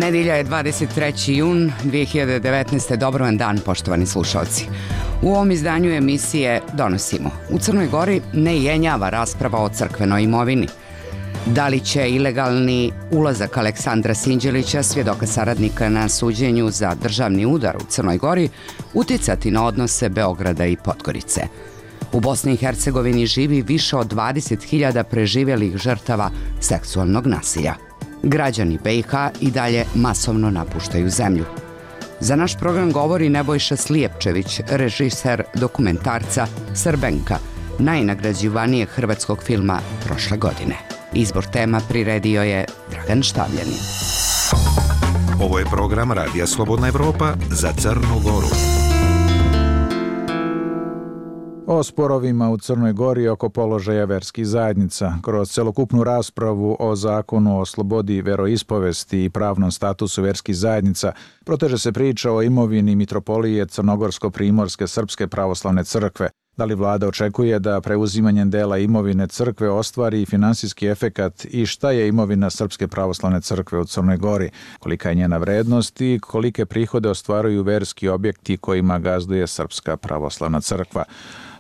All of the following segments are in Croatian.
Nedjelja je 23. jun 2019. Dobro vam dan, poštovani slušalci. U ovom izdanju emisije donosimo: u Crnoj Gori ne jenjava rasprava o crkvenoj imovini. Da li će ilegalni ulazak Aleksandra Sinđelića, svjedoka saradnika na suđenju za državni udar u Crnoj Gori, uticati na odnose Beograda i Podgorice? U Bosni i Hercegovini živi više od 20.000 preživjelih žrtava seksualnog nasilja. Građani BiH i dalje masovno napuštaju zemlju. Za naš program govori Nebojša Slijepčević, režiser dokumentarca Srbenka, najnagrađivanijeg hrvatskog filma prošle godine. Izbor tema priredio je Dragan Štavljanin. Ovo je program Radija Slobodna Evropa za Crnu Goru. O sporovima u Crnoj Gori oko položaja verskih zajednica. Kroz celokupnu raspravu o zakonu o slobodi veroispovesti i pravnom statusu verskih zajednica proteže se priča o imovini Mitropolije Crnogorsko-Primorske Srpske pravoslavne crkve. Da li vlada očekuje da preuzimanjem dela imovine crkve ostvari finansijski efekat i šta je imovina Srpske pravoslavne crkve u Crnoj Gori, kolika je njena vrednost i kolike prihode ostvaruju verski objekti kojima gazduje Srpska pravoslavna crkva?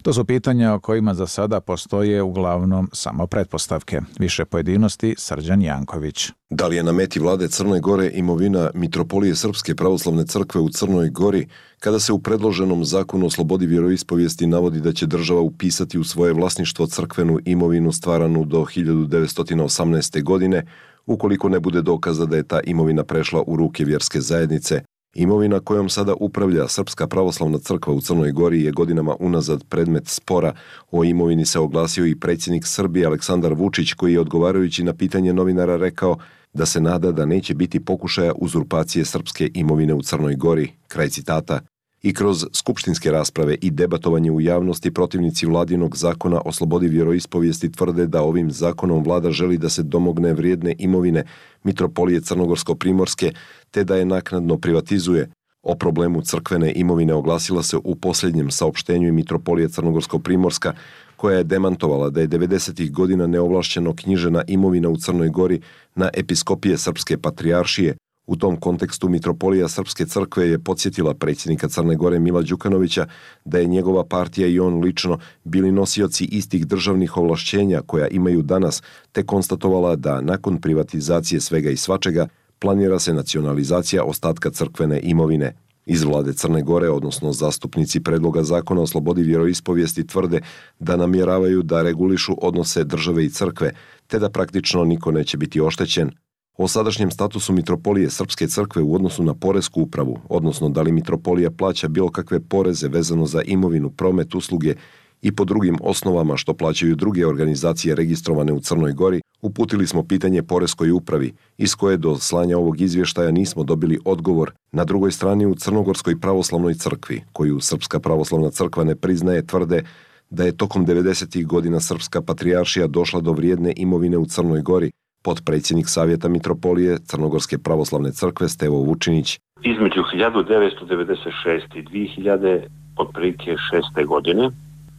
To su pitanja o kojima za sada postoje uglavnom samo pretpostavke. Više pojedinosti Srđan Janković. Da li je na meti vlade Crne Gore imovina Mitropolije Srpske pravoslavne crkve u Crnoj Gori, kada se u predloženom zakonu o slobodi vjeroispovijesti navodi da će država upisati u svoje vlasništvo crkvenu imovinu stvaranu do 1918. godine, ukoliko ne bude dokaza da je ta imovina prešla u ruke vjerske zajednice? Imovina kojom sada upravlja Srpska pravoslavna crkva u Crnoj Gori je godinama unazad predmet spora. O imovini se oglasio i predsjednik Srbije Aleksandar Vučić, koji je odgovarajući na pitanje novinara rekao da se nada da neće biti pokušaja uzurpacije srpske imovine u Crnoj Gori. Kraj citata. I kroz skupštinske rasprave i debatovanje u javnosti protivnici vladinog zakona o slobodi vjeroispovijesti tvrde da ovim zakonom vlada želi da se domogne vrijedne imovine Mitropolije Crnogorsko-Primorske te da je naknadno privatizuje. O problemu crkvene imovine oglasila se u posljednjem saopštenju i Mitropolije Crnogorsko-Primorska, koja je demantovala da je 90. godina neovlašćeno knjižena imovina u Crnoj Gori na episkopije Srpske patrijaršije. U tom kontekstu Mitropolija Srpske crkve je podsjetila predsjednika Crne Gore Mila Đukanovića da je njegova partija i on lično bili nosioci istih državnih ovlašćenja koja imaju danas, te konstatovala da nakon privatizacije svega i svačega planira se nacionalizacija ostatka crkvene imovine. Iz vlade Crne Gore, odnosno zastupnici predloga zakona o slobodi vjeroispovijesti, tvrde da namjeravaju da regulišu odnose države i crkve, te da praktično niko neće biti oštećen. O sadašnjem statusu Mitropolije Srpske crkve u odnosu na poresku upravu, odnosno da li Mitropolija plaća bilo kakve poreze vezano za imovinu, promet, usluge i po drugim osnovama što plaćaju druge organizacije registrovane u Crnoj Gori, uputili smo pitanje poreskoj upravi, iz koje do slanja ovog izvještaja nismo dobili odgovor. Na drugoj strani u Crnogorskoj pravoslavnoj crkvi, koju Srpska pravoslavna crkva ne priznaje, tvrde da je tokom 90. godina Srpska patrijaršija došla do vrijedne imovine u Crnoj Gori. Potpredsjednik Savjeta Mitropolije Crnogorske pravoslavne crkve Stevo Vučinić. Između 1996. i 2006. godine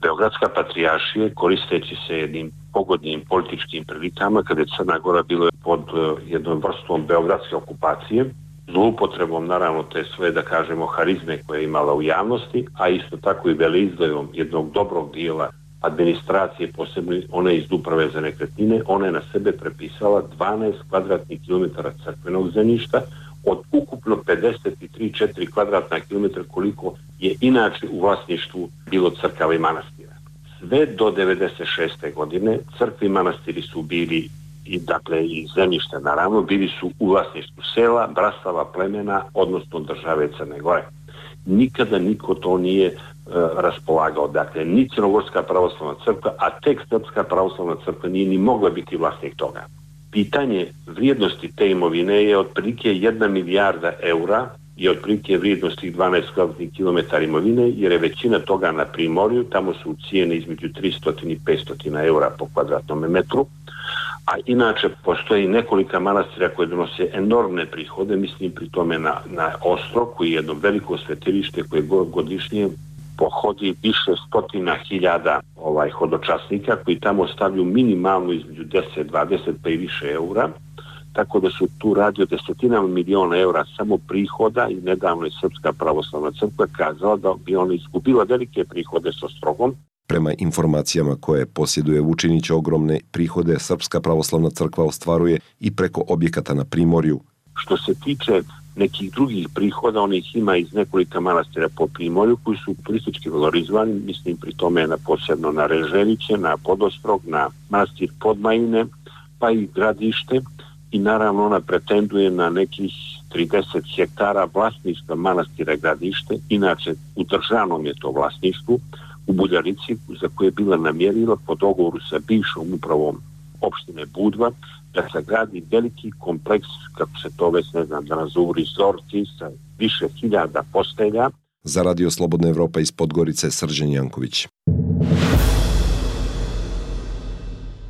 Beogradska patrijaršija, koristeći se jednim pogodnim političkim prilikama, kada je Crna Gora bila pod jednom vrstom beogradske okupacije, zloupotrebom naravno te svoje, da kažemo, harizme koje je imala u javnosti, a isto tako i veleizdajom jednog dobrog dijela administracije, posebno one iz uprave za nekretnine, ona je na sebe prepisala 12 kvadratnih kilometara crkvenog zemljišta od ukupno 53,4 kvadratna kilometra koliko je inače u vlasništvu bilo crkava i manastira. Sve do 96. godine crkve i manastiri su bili i zemljište naravno bili su u vlasništvu sela, brastava, plemena, odnosno države Crne Gore. Nikada niko to nije raspolagao. Dakle, ni Crnogorska pravoslavna crkva, a tek Srpska pravoslavna crkva nije ni mogla biti vlasnik toga. Pitanje vrijednosti te imovine je otprilike 1 milijarda eura i otprilike vrijednosti 12 kvadratnih kilometara imovine, jer je većina toga na Primorju, tamo su cijene između 300 i 500 eura po kvadratnom metru, a inače postoji nekolika manastira koje donose enormne prihode, mislim pri tome na Ostrog, koji je jedno veliko svetilište koje godišnje pohodi više stotina hiljada hodočasnika koji tamo stavljaju minimalno između 10, 20 pa i više eura. tako da se tu radi o desetinama miliona eura samo prihoda i nedavno je Srpska pravoslavna crkva kazala da bi ona izgubila velike prihode sa Ostrogom. Prema informacijama koje posjeduje Vučinić, ogromne prihode Srpska pravoslavna crkva ostvaruje i preko objekata na Primorju. Što se tiče nekih drugih prihoda, onih ima iz nekolika manastira po Primorju koji su turistički valorizovani, mislim pri tome posebno na Reželiće, na Podostrog, na manastir Podmajine, pa i Gradište i naravno ona pretenduje na nekih 30 hektara vlasništva manastira Gradište, inače u državnom je to vlasništvu, u Buljarici, za koje je bila namjerila po dogovoru sa bivšom upravom opštine Budva, da se gradi veliki kompleks, kako se to već ne znam da nazovu, rezorti sa više hiljada postelja. Za Radio Slobodna Evropa iz Podgorice, Srđan Janković.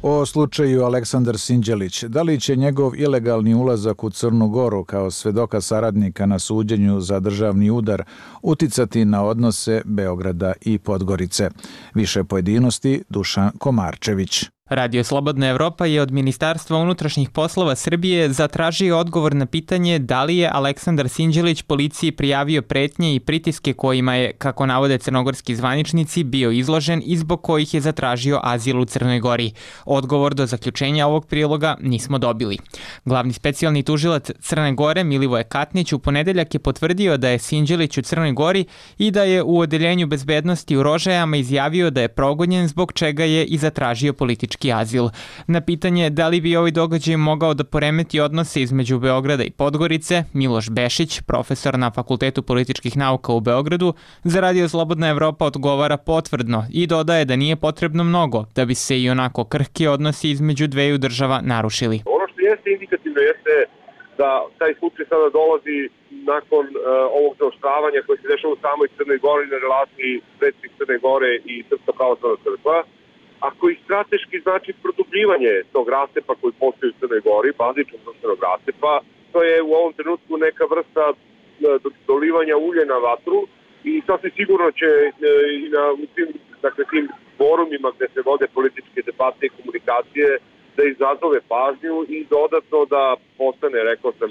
O slučaju Aleksandar Sinđelić, da li će njegov ilegalni ulazak u Crnu Goru kao svedoka saradnika na suđenju za državni udar uticati na odnose Beograda i Podgorice? Više pojedinosti Dušan Komarčević. Radio Slobodna Evropa je od Ministarstva unutrašnjih poslova Srbije zatražio odgovor na pitanje da li je Aleksandar Sinđelić policiji prijavio pretnje i pritiske kojima je, kako navode crnogorski zvaničnici, bio izložen i zbog kojih je zatražio azil u Crnoj Gori. Odgovor do zaključenja ovog priloga nismo dobili. Glavni specijalni tužilac Crne Gore Milivoje Katnić u ponedeljak je potvrdio da je Sinđelić u Crnoj Gori i da je u odeljenju bezbednosti u Rožajama izjavio da je progonjen, zbog čega je i zatražio politički azil. Na pitanje da li bi ovaj događaj mogao da poremeti odnose između Beograda i Podgorice, Miloš Bešić, profesor na Fakultetu političkih nauka u Beogradu, za Radio Slobodna Evropa odgovara potvrdno i dodaje da nije potrebno mnogo da bi se i onako krhki odnosi između dveju država narušili. Ono što jeste indikativno jeste da taj slučaj sada dolazi nakon ovog zaoštravanja koje se dešava u samoj Crnoj Gori na relaciji predsjednik Crne Gore i Srpska pravoslavna crkva, a koji strateški znači produbljivanje tog rastepa koji postoji u Crnoj Gori, bazičnog društvenog rastepa. To je u ovom trenutku neka vrsta dolivanja ulja na vatru i sasvim sigurno će i na tim forumima gde se vode političke debate i komunikacije da izazove pažnju i dodatno da postane, rekao sam,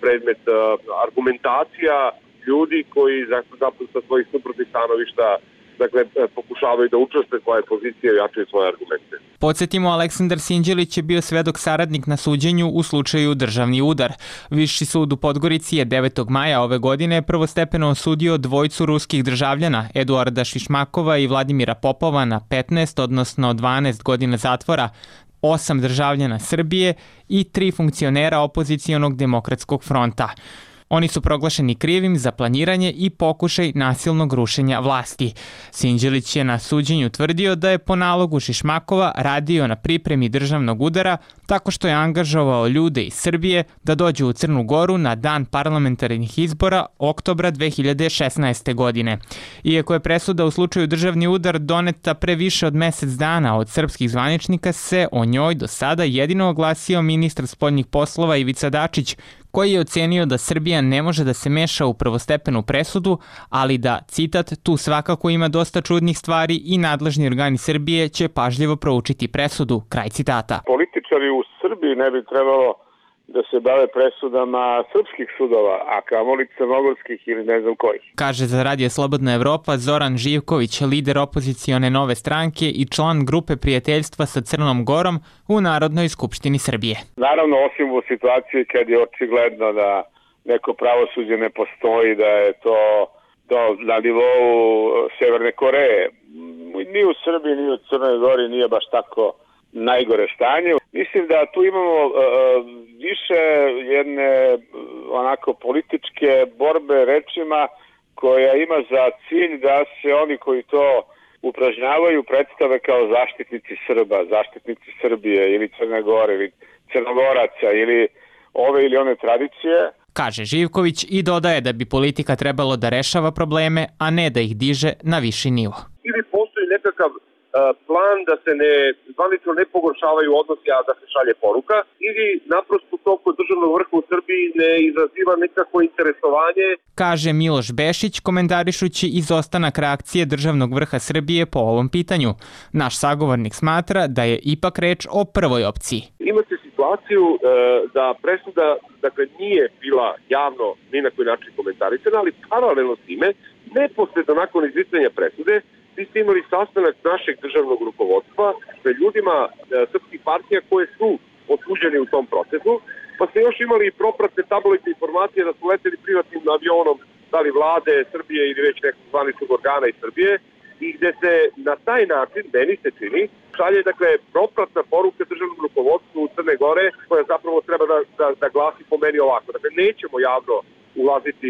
predmet argumentacija ljudi koji sa svojih suprotnih stanovišta pokušavaju da učestvuje svoje pozicije i jačaju svoje argumente. Podsjetimo, Aleksandar Sinđelić je bio svedok saradnik na suđenju u slučaju državni udar. Viši sud u Podgorici je 9. maja ove godine prvostepeno osudio dvojicu ruskih državljana, Eduarda Šišmakova i Vladimira Popova, na 15, odnosno 12 godina zatvora, 8 državljana Srbije i 3 funkcionera opozicionog demokratskog fronta. Oni su proglašeni krivim za planiranje i pokušaj nasilnog rušenja vlasti. Sinđelić je na suđenju tvrdio da je po nalogu Šišmakova radio na pripremi državnog udara tako što je angažovao ljude iz Srbije da dođu u Crnu Goru na dan parlamentarnih izbora oktobra 2016. godine. Iako je presuda u slučaju državni udar doneta pre više od mesec dana od srpskih zvaničnika, se o njoj do sada jedino oglasio ministar spoljnih poslova Ivica Dačić, koji je ocenio da Srbija ne može da se meša u prvostepenu presudu, ali da, citat, tu svakako ima dosta čudnih stvari i nadležni organi Srbije će pažljivo proučiti presudu, kraj citata. Političari u Srbiji ne bi trebalo da se bave presudama srpskih sudova, a kamoli crnogorskih ili ne znam kojih. Kaže za Radio Slobodna Evropa Zoran Živković, lider opozicione Nove stranke i član grupe prijateljstva sa Crnom Gorom u Narodnoj skupštini Srbije. Naravno, osim u situaciji kad je očigledno da neko pravosuđe ne postoji, da je to na nivou Severne Koreje. Ni u Srbiji, ni u Crnoj Gori nije baš tako najgore stanje. Mislim da tu imamo više jedne onako političke borbe rečima koja ima za cilj da se oni koji to upražnjavaju predstave kao zaštitnici Srba, zaštitnici Srbije ili Crne Gore ili Crnogoraca ili ove ili one tradicije. Kaže Živković i dodaje da bi politika trebalo da rešava probleme, a ne da ih diže na viši nivo. Ili postoji nekakav plan da se zvanično ne pogoršavaju odnosi, a da se šalje poruka, ili naprosto to kod državnog vrha u Srbiji ne izaziva nekako interesovanje. Kaže Miloš Bešić, komentarišući izostanak reakcije državnog vrha Srbije po ovom pitanju. Naš sagovornik smatra da je ipak reč o prvoj opciji. Imate situaciju da presuda nije bila javno ni na koji način komentarisana, ali paralelno s time, neposredno nakon izricanja presude, vi ste imali sastanak našeg državnog rukovodstva sa ljudima srpskih partija koje su osuđeni u tom procesu, pa ste još imali propratne tabloidne informacije da su leteli privatnim avionom, da li vlade Srbije ili već nekog zvaničnog organa iz Srbije, i gde se na taj način, meni se čini, šalje propratna poruka državnom rukovodstvu Crne Gore, koja zapravo treba da glasi po meni ovako. Dakle, nećemo javno ulaziti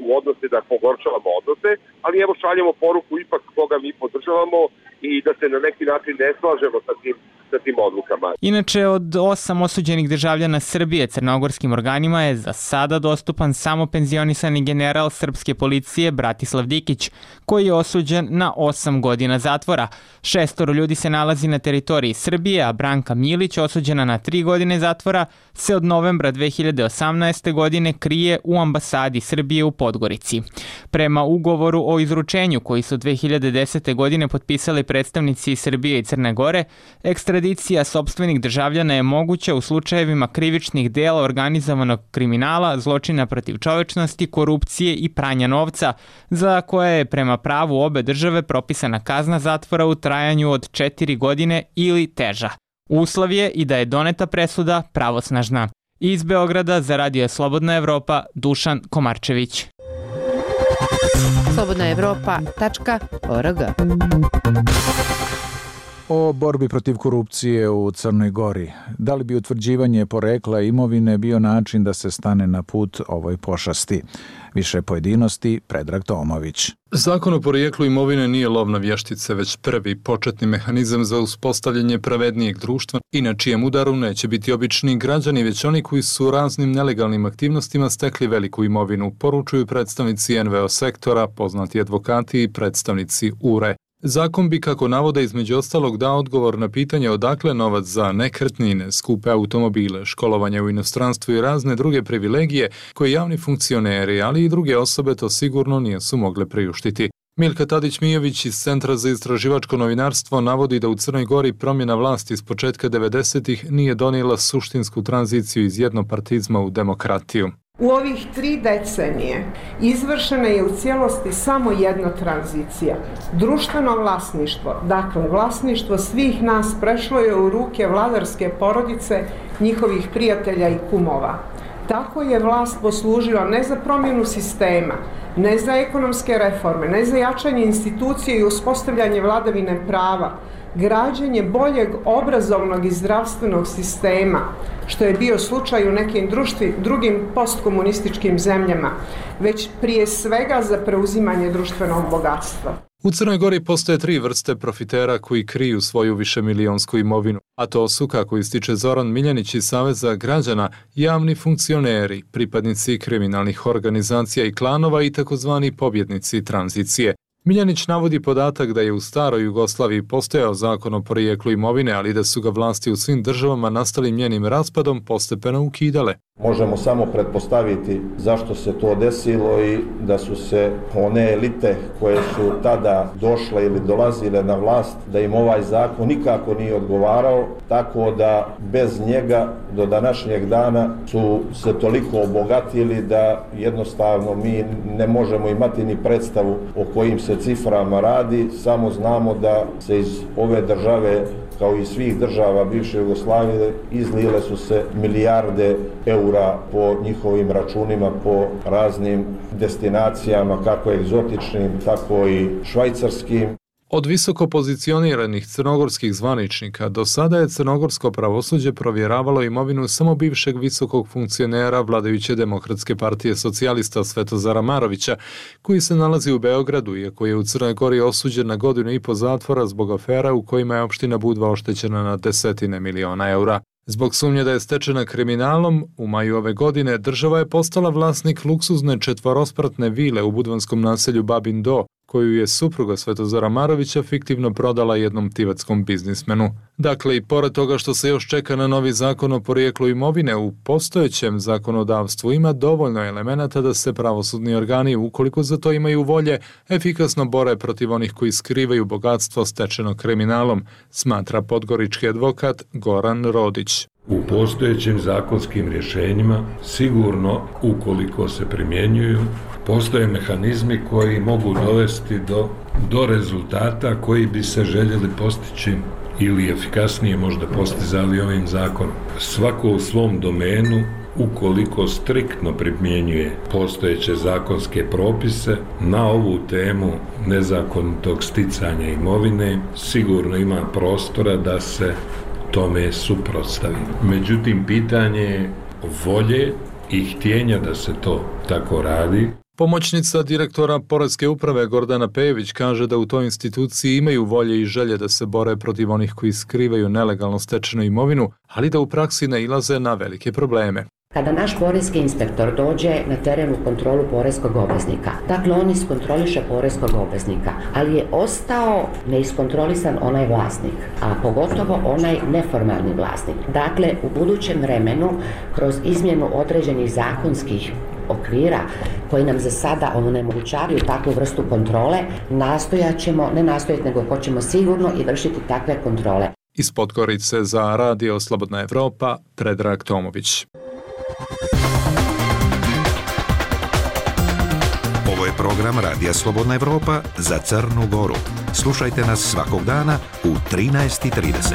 u odnose, da pogoršavamo odnose, ali evo šaljemo poruku ipak koga mi podržavamo i da se na neki način ne slažemo sa tim odlukama. Inače, od 8 osuđenih državljana Srbije crnogorskim organima je za sada dostupan samo penzionisani general srpske policije Bratislav Dikić, koji je osuđen na 8 godina zatvora. 6 ljudi se nalazi na teritoriji Srbije, a Branka Milić, osuđena na 3 godine zatvora, se od novembra 2018. godine krije u ambasadi Srbije u Podgorici. Prema ugovoru o izručenju koji su 2010. godine potpisali predstavnici Srbije i Crne Gore, ekstradicija sopstvenih državljana je moguća u slučajevima krivičnih dela organizovanog kriminala, zločina protiv čovečnosti, korupcije i pranja novca, za koje je prema pravu obe države propisana kazna zatvora u trajanju od 4 godine ili teža. Uslov je i da je doneta presuda pravosnažna. Iz Beograda za Radio Slobodna Evropa, Dušan Komarčević. slobodnaevropa.org. O borbi protiv korupcije u Crnoj Gori. Da li bi utvrđivanje porekla imovine bio način da se stane na put ovoj pošasti? Više pojedinosti, Predrag Tomović. Zakon o porijeklu imovine nije lov na vještice, već prvi početni mehanizam za uspostavljanje pravednijeg društva i na čijem udaru neće biti obični građani, već oni koji su raznim nelegalnim aktivnostima stekli veliku imovinu, poručuju predstavnici NVO sektora, poznati advokati i predstavnici URE. Zakon bi, kako navode, između ostalog dao odgovor na pitanje odakle novac za nekretnine, skupe automobile, školovanje u inostranstvu i razne druge privilegije koje javni funkcioneri, ali i druge osobe to sigurno nisu mogle priuštiti. Milka Tadić-Mijović iz Centra za istraživačko novinarstvo navodi da u Crnoj Gori promjena vlasti s početka 90-ih nije donijela suštinsku tranziciju iz jednopartizma u demokratiju. U ovih 3 decenije izvršena je u cijelosti samo jedna tranzicija. Društveno vlasništvo, dakle vlasništvo svih nas, prešlo je u ruke vladarske porodice, njihovih prijatelja i kumova. Tako je vlast poslužila ne za promjenu sistema, ne za ekonomske reforme, ne za jačanje institucije i uspostavljanje vladavine prava, građenje boljeg obrazovnog i zdravstvenog sistema, što je bio slučaj u nekim drugim postkomunističkim zemljama, već prije svega za preuzimanje društvenog bogatstva. U Crnoj Gori postoje 3 vrste profitera koji kriju svoju višemilijonsku imovinu, a to su, kako ističe Zoran Miljanić iz Saveza građana, javni funkcioneri, pripadnici kriminalnih organizacija i klanova i takozvani pobjednici tranzicije. Miljanić navodi podatak da je u staroj Jugoslaviji postojao zakon o porijeklu imovine, ali da su ga vlasti u svim državama nastalim njenim raspadom postepeno ukidale. Možemo samo pretpostaviti zašto se to desilo i da su se one elite koje su tada došle ili dolazile na vlast, da im ovaj zakon nikako nije odgovarao, tako da bez njega do današnjeg dana su se toliko obogatili da jednostavno mi ne možemo imati ni predstavu o kojim se ciframa radi, samo znamo da se iz ove države, kao i svih država bivše Jugoslavije, izlile su se milijarde eura po njihovim računima, po raznim destinacijama, kako egzotičnim, tako i švajcarskim. Od visoko pozicioniranih crnogorskih zvaničnika do sada je crnogorsko pravosuđe provjeravalo imovinu samo bivšeg visokog funkcionera vladajuće Demokratske partije socijalista Svetozara Marovića, koji se nalazi u Beogradu, iako je u Crnoj Gori osuđen na 1,5 godine zatvora zbog afera u kojima je opština Budva oštećena na desetine miliona eura. Zbog sumnje da je stečena kriminalom, u maju ove godine država je postala vlasnik luksuzne 4-spratne vile u budvanskom naselju Babin Do, koju je supruga Svetozara Marovića fiktivno prodala jednom tivatskom biznismenu. Dakle, i pored toga što se još čeka na novi zakon o porijeklu imovine, u postojećem zakonodavstvu ima dovoljno elemenata da se pravosudni organi, ukoliko za to imaju volje, efikasno bore protiv onih koji skrivaju bogatstvo stečeno kriminalom, smatra podgorički advokat Goran Rodić. U postojećim zakonskim rješenjima sigurno, ukoliko se primjenjuju, postoje mehanizmi koji mogu dovesti do rezultata koji bi se željeli postići ili efikasnije možda postizali ovim zakonom. Svako u svom domenu, ukoliko striktno primjenjuje postojeće zakonske propise na ovu temu nezakonitog sticanja imovine, sigurno ima prostora da se tome suprotstavi. Međutim, pitanje je volje i htjenja da se to tako radi. Pomoćnica direktora Poreske uprave Gordana Pejević kaže da u toj instituciji imaju volje i želje da se bore protiv onih koji skrivaju nelegalno stečenu imovinu, ali da u praksi nailaze na velike probleme. Kada naš poreski inspektor dođe na teren u kontrolu poreskog obveznika, dakle on iskontroliše poreskog obveznika, ali je ostao neiskontrolisan onaj vlasnik, a pogotovo onaj neformalni vlasnik. Dakle, u budućem vremenu, kroz izmjenu određenih zakonskih okvira koji nam za sada onemogućavaju takvu vrstu kontrole, hoćemo sigurno i vršiti takve kontrole. Iz Podgorice za Radio Slobodna Evropa, Predrag Tomović. Ovo je program Radija Slobodna Evropa za Crnu Goru. Slušajte nas svakog dana u 13:30.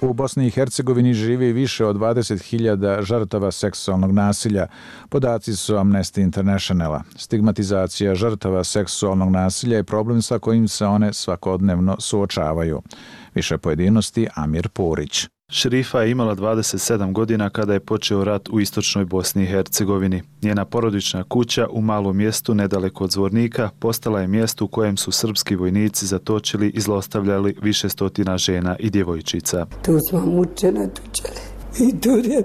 U Bosni i Hercegovini živi više od 20.000 žrtava seksualnog nasilja. Podaci su Amnesty Internationala. Stigmatizacija žrtava seksualnog nasilja je problem sa kojim se one svakodnevno suočavaju. Više pojedinosti Amir Purić. Šerifa je imala 27 godina kada je počeo rat u istočnoj Bosni i Hercegovini. Njena porodična kuća u malom mjestu nedaleko od Zvornika postala je mjesto u kojem su srpski vojnici zatočili i zlostavljali više stotina žena i djevojčica. Tu smo mučena tučele i tu je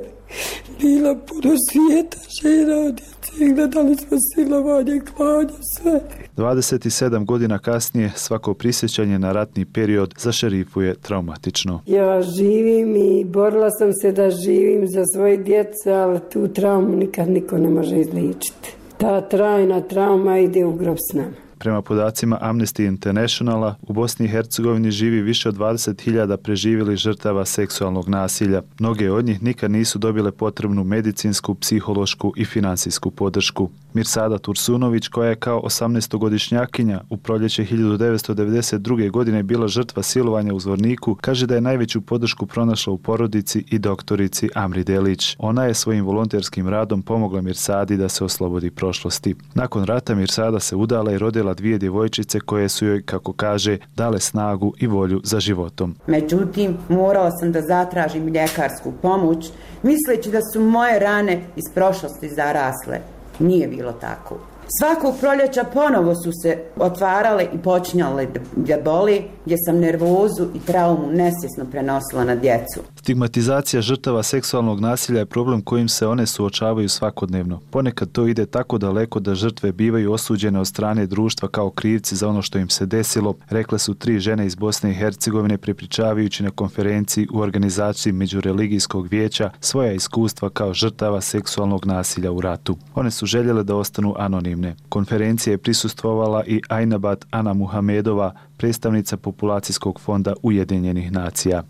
bila puno svijeta žena od djece, gledali smo silovanje, klanje, sve. 27 godina kasnije svako prisjećanje na ratni period za Šerifu je traumatično. Ja živim i borila sam se da živim za svoje djece, ali tu traumu nikad niko ne može izliječiti. Ta trajna trauma ide u grob s nama. Prema podacima Amnesty Internationala, u Bosni i Hercegovini živi više od 20.000 preživjelih žrtava seksualnog nasilja. Mnoge od njih nikad nisu dobile potrebnu medicinsku, psihološku i finansijsku podršku. Mirsada Tursunović, koja je kao 18-godišnjakinja u proljeće 1992. godine bila žrtva silovanja u Zvorniku, kaže da je najveću podršku pronašla u porodici i doktorici Amri Delić. Ona je svojim volonterskim radom pomogla Mirsadi da se oslobodi prošlosti. Nakon rata Mirsada se udala i rodila 2 djevojčice koje su joj, kako kaže, dale snagu i volju za životom. Međutim, morao sam da zatražim ljekarsku pomoć, misleći da su moje rane iz prošlosti zarasle. Nije bilo tako. Svakog proljeća ponovo su se otvarale i počinjale da boli, gdje sam nervozu i traumu nesvjesno prenosila na djecu. Stigmatizacija žrtava seksualnog nasilja je problem kojim se one suočavaju svakodnevno. Ponekad to ide tako daleko da žrtve bivaju osuđene od strane društva kao krivci za ono što im se desilo, rekle su 3 žene iz Bosne i Hercegovine prepričavajući na konferenciji u organizaciji Međureligijskog vijeća svoja iskustva kao žrtava seksualnog nasilja u ratu. One su željele da ostanu anonimne. Konferencija je prisustvovala i Ajnabat Ana Muhamedova, predstavnica Populacijskog fonda Ujedinjenih nacija.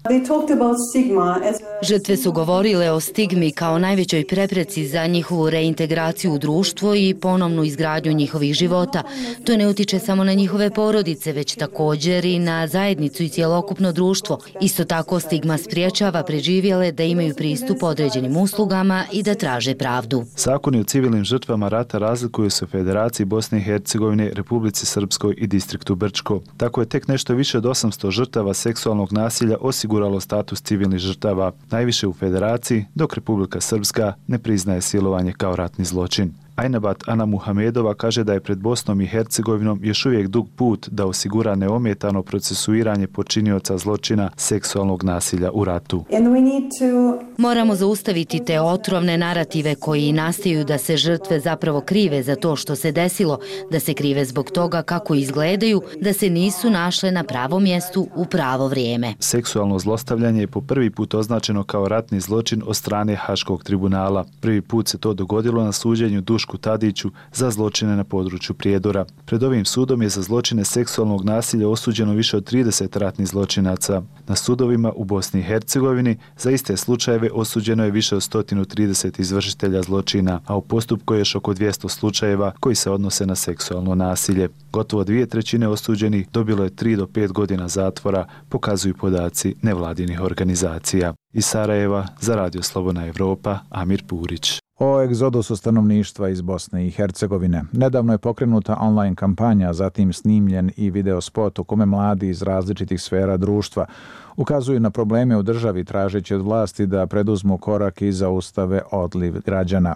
Žrtve su govorile o stigmi kao najvećoj prepreci za njihovu reintegraciju u društvo i ponovnu izgradnju njihovih života. To ne utiče samo na njihove porodice, već također i na zajednicu i cjelokupno društvo. Isto tako stigma spriječava preživjele da imaju pristup određenim uslugama i da traže pravdu. Zakoni o civilnim žrtvama rata razlikuju se u Federaciji Bosne i Hercegovine, Republici Srpskoj i distriktu Brčko. Tako je tek nešto više od 800 žrtava seksualnog nasilja osiguralo status civilnih žrtava, najviše u Federaciji, dok Republika Srpska ne priznaje silovanje kao ratni zločin. Ajnabat Ana Muhamedova kaže da je pred Bosnom i Hercegovinom još uvijek dug put da osigura neometano procesuiranje počinioca zločina seksualnog nasilja u ratu. Moramo zaustaviti te otrovne narative koji nastaju da se žrtve zapravo krive za to što se desilo, da se krive zbog toga kako izgledaju, da se nisu našle na pravom mjestu u pravo vrijeme. Seksualno zlostavljanje je po prvi put označeno kao ratni zločin od strane Haškog tribunala. Prvi put se to dogodilo na suđenju Dušku Tadiću za zločine na području Prijedora. Pred ovim sudom je za zločine seksualnog nasilja osuđeno više od 30 ratnih zločinaca. Na sudovima u Bosni i Hercegovini za iste slučajeve osuđeno je više od 130 izvršitelja zločina, a u postupku je još oko 200 slučajeva koji se odnose na seksualno nasilje. Gotovo 2/3 osuđenih dobilo je 3 do 5 godina zatvora, pokazuju podaci nevladinih organizacija. Iz Sarajeva za Radio Slobodna Evropa, Amir Purić. O egzodusu stanovništva iz Bosne i Hercegovine. Nedavno je pokrenuta online kampanja, zatim snimljen i video spot u kome mladi iz različitih sfera društva ukazuju na probleme u državi tražeći od vlasti da preduzmu korak i zaustave odliv građana.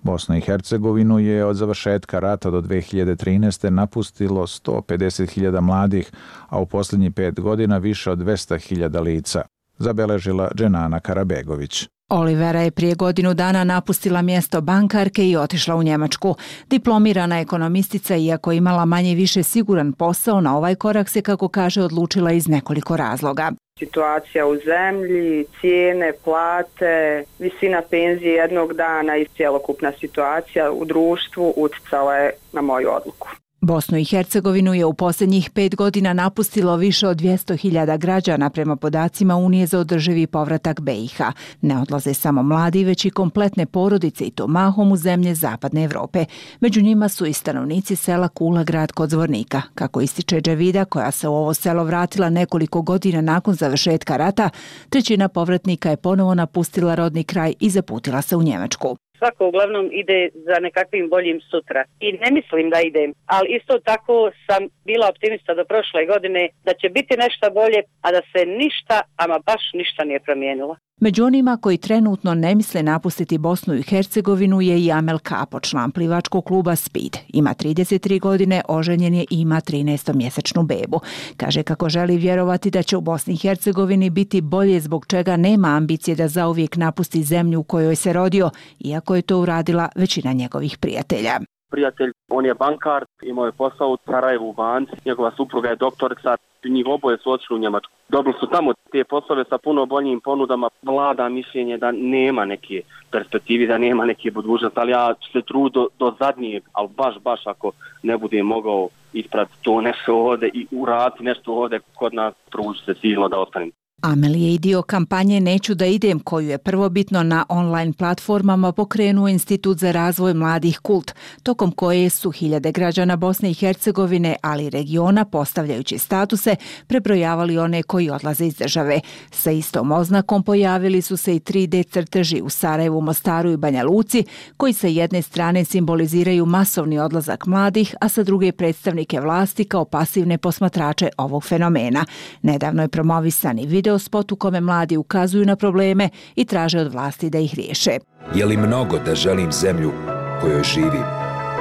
Bosnu i Hercegovinu je od završetka rata do 2013. napustilo 150.000 mladih, a u posljednjih 5 godina više od 200.000 lica, zabeležila Dženana Karabegović. Olivera je prije godinu dana napustila mjesto bankarke i otišla u Njemačku. Diplomirana ekonomistica, iako imala manje više siguran posao, na ovaj korak se, kako kaže, odlučila iz nekoliko razloga. Situacija u zemlji, cijene, plate, visina penzije jednog dana i cjelokupna situacija u društvu utjecala je na moju odluku. Bosnu i Hercegovinu je u posljednjih 5 godina napustilo više od 200.000 građana prema podacima Unije za održivi povratak BiH. Ne odlaze samo mladi, već i kompletne porodice, i to mahom u zemlje Zapadne Evrope. Među njima su i stanovnici sela Kula Grad kod Zvornika. Kako ističe Dževida, koja se u ovo selo vratila nekoliko godina nakon završetka rata, 1/3 povratnika je ponovo napustila rodni kraj i zaputila se u Njemačku. Svako uglavnom ide za nekakvim boljim sutra. I ne mislim da idem, ali isto tako sam bila optimista do prošle godine da će biti nešto bolje, a da se ništa, ama baš ništa nije promijenilo. Među onima koji trenutno ne misle napustiti Bosnu i Hercegovinu je i Amel Kapo, član plivačkog kluba Speed. Ima 33 godine, oženjen je i ima 13-mjesečnu bebu. Kaže kako želi vjerovati da će u Bosni i Hercegovini biti bolje, zbog čega nema ambicije da zauvijek napusti zemlju u kojoj se rodio, iako je to uradila većina njegovih prijatelja. Prijatelj, on je bankar, imao je posao u Sarajevu u banci, njegova supruga je doktorica, njih oboje su otišli u Njemačku. Dobili su tamo te poslove sa puno boljim ponudama, vlada mišljenje da nema neke perspektive, da nema neke budućnosti, ali ja ću se truditi do zadnjeg, ali baš ako ne budem mogao ispraviti to nešto ovdje i uraditi nešto ovdje kod nas, trudit se silno da ostanem. Amel je i dio kampanje Neću da idem, koju je prvobitno na online platformama pokrenuo Institut za razvoj mladih Kult, tokom koje su hiljade građana Bosne i Hercegovine, ali i regiona, postavljajući statuse, prebrojavali one koji odlaze iz države. Sa istom oznakom pojavili su se i 3D crteži u Sarajevu, Mostaru i Banja Luci, koji sa jedne strane simboliziraju masovni odlazak mladih, a sa druge predstavnike vlasti kao pasivne posmatrače ovog fenomena. Nedavno je promovisan i video spot u kome mladi ukazuju na probleme i traže od vlasti da ih riješe. Je li mnogo da želim zemlju kojoj živim,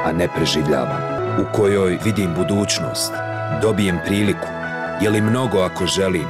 a ne preživljavam, u kojoj vidim budućnost, dobijem priliku? Je li mnogo ako želim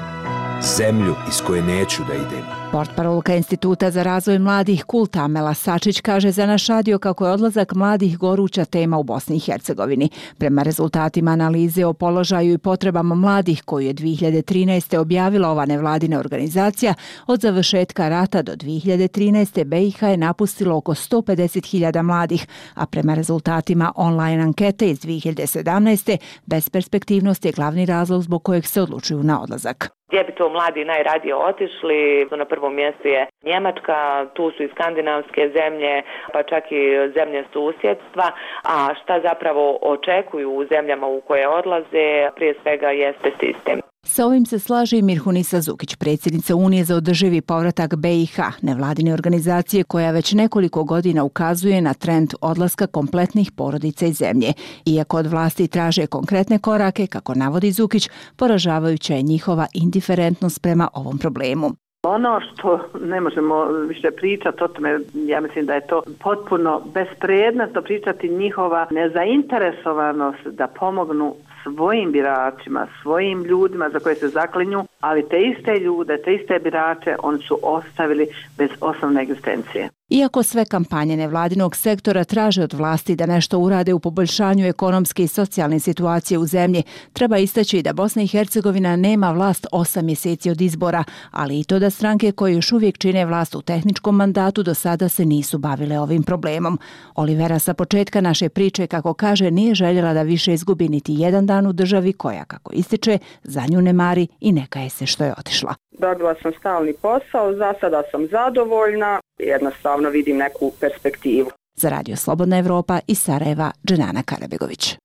zemlju iz koje neću da idem? Portparolka Instituta za razvoj mladih Kult Amela Sačić kaže za naš radio kako je odlazak mladih goruća tema u Bosni i Hercegovini. Prema rezultatima analize o položaju i potrebama mladih koju je 2013. objavila ova nevladina organizacija, od završetka rata do 2013. BiH je napustilo oko 150.000 mladih, a prema rezultatima online ankete iz 2017. besperspektivnost je glavni razlog zbog kojeg se odlučuju na odlazak. Gdje bi to mladi najradije otišli? Na prvom mjestu je Njemačka, tu su i skandinavske zemlje, pa čak i zemlje susjedstva. A šta zapravo očekuju u zemljama u koje odlaze? Prije svega jeste sistem. Sa ovim se slaže i Mirhunisa Zukić, predsjednica Unije za održivi povratak BiH, nevladine organizacije koja već nekoliko godina ukazuje na trend odlaska kompletnih porodica iz zemlje. Iako od vlasti traže konkretne korake, kako navodi Zukić, poražavajuća je njihova indiferentnost prema ovom problemu. Ono što ne možemo više pričati o tome, ja mislim da je to potpuno bespredmetno pričati, njihova nezainteresovanost da pomognu svojim biračima, svojim ljudima za koje se zaklinju, ali te iste ljude, te iste birače oni su ostavili bez osnovne egzistencije. Iako sve kampanje nevladinog sektora traže od vlasti da nešto urade u poboljšanju ekonomske i socijalne situacije u zemlji, treba istaći da Bosna i Hercegovina nema vlast 8 mjeseci od izbora, ali i to da stranke koje još uvijek čine vlast u tehničkom mandatu do sada se nisu bavile ovim problemom. Olivera sa početka naše priče, kako kaže, nije željela da više izgubi niti jedan dan u državi koja, kako ističe, za nju ne mari i ne kaje se što je otišla. Dobila sam stalni posao, za sada sam zadovoljna, jednostavno vidim neku perspektivu. Za Radio Slobodna Evropa iz Sarajeva, Dženana Karabegović.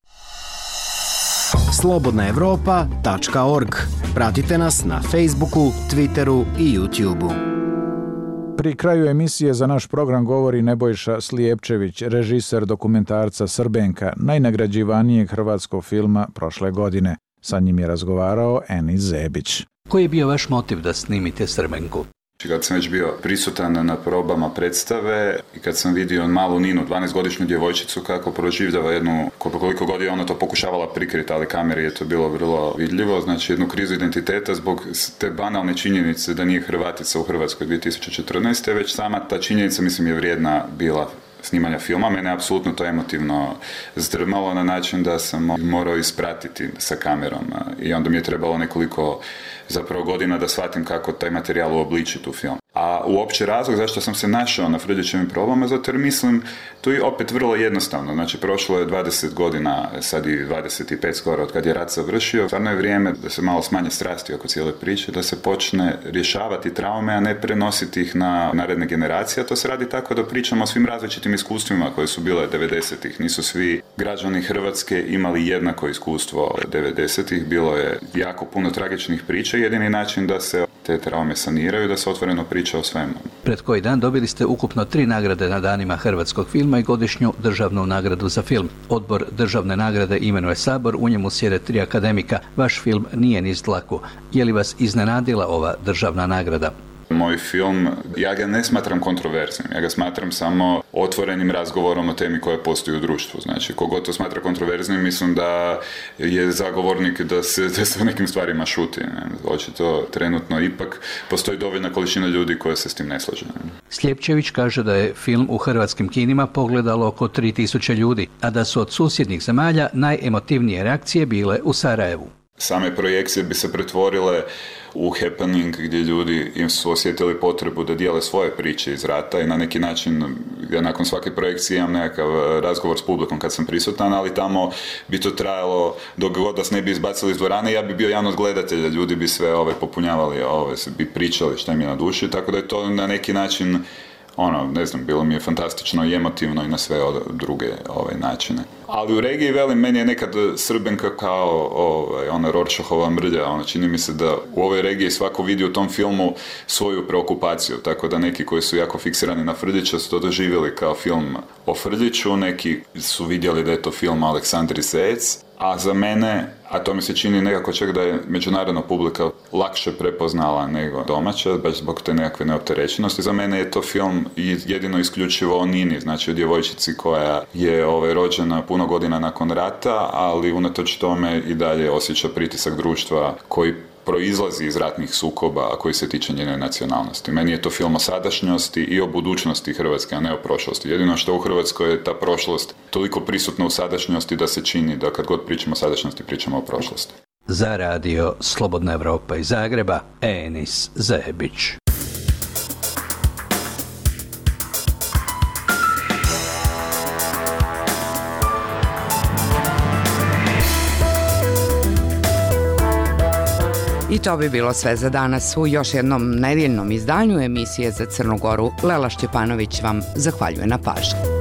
slobodnaevropa.org. Pratite nas na Facebooku, Twitteru i YouTubeu. Pri kraju emisije za naš program govori Nebojša Slijepčević, režiser dokumentarca Srbenka, najnagrađivanijeg hrvatskog filma prošle godine. Sa njim je razgovarao Enis Zebić. Koji je bio vaš motiv da snimite Srbenku? Kad sam već bio prisutan na probama predstave i kad sam vidio malu Ninu, 12-godišnju djevojčicu, kako proživljava jednu, koliko god je ona to pokušavala prikriti, ali kameri je to bilo vrlo vidljivo, znači jednu krizu identiteta zbog te banalne činjenice da nije Hrvatica u Hrvatskoj 2014. Već sama ta činjenica, mislim, je vrijedna bila snimanja filma. Mene je apsolutno to emotivno zdrmalo na način da sam morao ispratiti sa kamerom i onda mi je trebalo nekoliko zapravo godina da shvatim kako taj materijal uobličiti u film. A uopće razlog zašto sam se našao na Frljićevim probama, zato jer mislim, tu je opet vrlo jednostavno. Znači, prošlo je 20 godina, sad i 25 skoro od kad je rat završio. Stvarno je vrijeme da se malo smanje strasti oko cijele priče, da se počne rješavati traume, a ne prenositi ih na naredne generacije. To se radi tako da pričamo o svim različitim iskustvima koje su bile 90-ih. Nisu svi građani Hrvatske imali jednako iskustvo 90-ih. Bilo je jako puno tragičnih priča. Jedini način da se te traume saniraju, da se otvoreno priča o svemu. Pred koji dan dobili ste ukupno 3 nagrade na danima hrvatskog filma i godišnju državnu nagradu za film. Odbor državne nagrade imenuje Sabor, u njemu sjede 3 akademika. Vaš film nije niz dlaku. Je li vas iznenadila ova državna nagrada? Moj film, ja ga ne smatram kontroverznim, ja ga smatram samo otvorenim razgovorom o temi koja postoji u društvu. Znači, kogod to smatra kontroverznim, mislim da je zagovornik da se o nekim stvarima šuti. Očito trenutno ipak postoji dovoljna količina ljudi koja se s tim ne slaže. Slijepčević kaže da je film u hrvatskim kinima pogledalo oko 3000 ljudi, a da su od susjednih zemalja najemotivnije reakcije bile u Sarajevu. Same projekcije bi se pretvorile u happening gdje ljudi im su osjetili potrebu da dijele svoje priče iz rata i na neki način, ja nakon svake projekcije imam nekakav razgovor s publikom kad sam prisutan, ali tamo bi to trajalo dok god nas ne bi izbacili iz dvorane, ja bi bio jedan od gledatelja, ljudi bi sve popunjavali, bi pričali šta im je na duši, tako da je to na neki način ne znam, bilo mi je fantastično i emotivno i na sve druge načine. Ali u regiji, velim, meni je nekad Srbenka kao ona Rorschachova mrlja, čini mi se da u ovoj regiji svako vidi u tom filmu svoju preokupaciju, tako da neki koji su jako fiksirani na Frljića su to doživjeli kao film o Frljiću, neki su vidjeli da je to film o Aleksandri Zec, a za mene, a to mi se čini nekako čak da je međunarodna publika lakše prepoznala nego domaća, baš zbog te nekakve neopterećenosti. Za mene je to film jedino isključivo o Nini, znači o djevojčici koja je rođena puno godina nakon rata, ali unatoč tome i dalje osjeća pritisak društva koji proizlazi iz ratnih sukoba, a koji se tiče njene nacionalnosti. Meni je to film o sadašnjosti i o budućnosti Hrvatske, a ne o prošlosti. Jedino što u Hrvatskoj je ta prošlost toliko prisutna u sadašnjosti da se čini da kad god pričamo o sadašnjosti, pričamo o prošlosti. Za radio Slobodna Evropa iz Zagreba, Enis Zebić. I to bi bilo sve za danas u još jednom nedeljnom izdanju emisije za Crnu Goru. Lela Šćepanović vam zahvaljuje na pažnji.